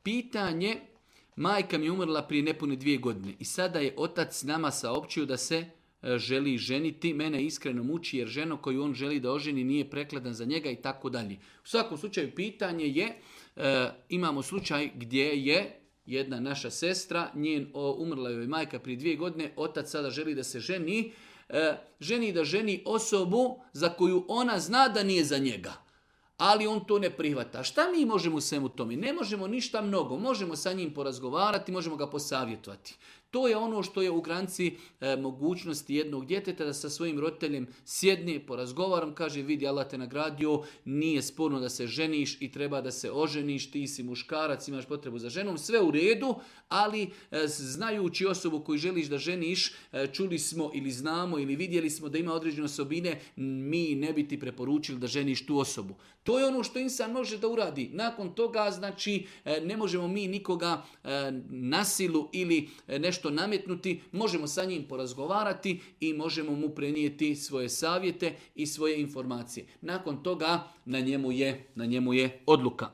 Pitanje, majka mi je umrla prije nepune 2 godine i sada je otac nama saopćio da se želi ženiti. Mene iskreno muči jer žena koju on želi da oženi nije prekladan za njega i tako dalje. U svakom slučaju pitanje je, imamo slučaj gdje je jedna naša sestra, umrla joj majka prije 2 godine, otac sada želi da se ženi osobu za koju ona zna da nije za njega. Ali on to ne prihvata. Šta mi možemo u svemu tome? Ne možemo ništa mnogo. Možemo sa njim porazgovarati, možemo ga posavjetovati. To je ono što je u granici mogućnosti jednog djeteta da sa svojim roditeljem sjedne, porazgovaram, kaže vidi Allah te nagradio, nije sporno da se ženiš i treba da se oženiš, ti si muškarac, imaš potrebu za ženom, sve u redu, ali znajući osobu koju želiš da ženiš, čuli smo ili znamo ili vidjeli smo da ima određene osobine, mi ne bi ti preporučili da ženiš tu osobu. To je ono što insan može da uradi. Nakon toga, znači, ne možemo mi nikoga na silu ili nešto nametnuti, možemo sa njim porazgovarati i možemo mu prenijeti svoje savjete i svoje informacije. Nakon toga na njemu je odluka.